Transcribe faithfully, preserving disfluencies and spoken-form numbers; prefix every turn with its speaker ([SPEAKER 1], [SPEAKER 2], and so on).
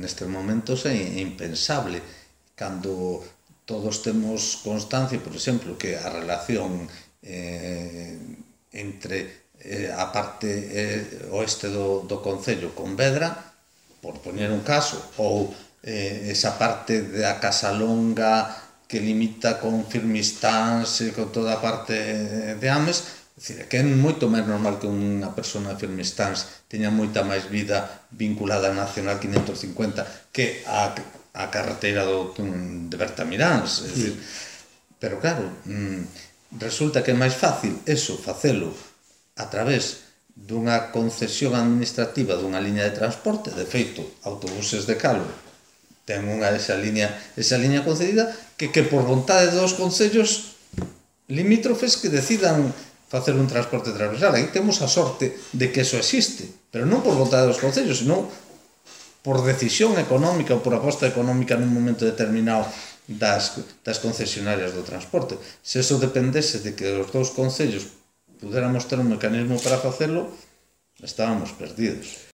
[SPEAKER 1] nestes momentos é impensable. Cando todos temos constancia, por exemplo, que a relación eh, entre eh, a parte eh, oeste do, do concello con Vedra, por poñer un caso, ou eh, esa parte da Casa Longa que limita con Firmistáns e con toda a parte de Ames, é que é moito máis normal que unha persona de Firmistáns teña moita máis vida vinculada á Nacional quinhentos cincuenta que a, a carretera do, de Bertamiráns. É dicir, pero claro, resulta que é máis fácil eso, facelo a través dunha concesión administrativa dunha liña de transporte. De feito, Autobuses de Calvo ten unha esa liña, esa liña concedida que, que por vontade dos concellos limítrofes que decidan facer un transporte transversal. Aí temos a sorte de que eso existe, pero non por vontade dos concellos, senón por decisión económica ou por aposta económica nun momento determinado das, das concesionarias do transporte. Se eso dependese de que os dous concellos pudéramos ter un mecanismo para facelo, estábamos perdidos.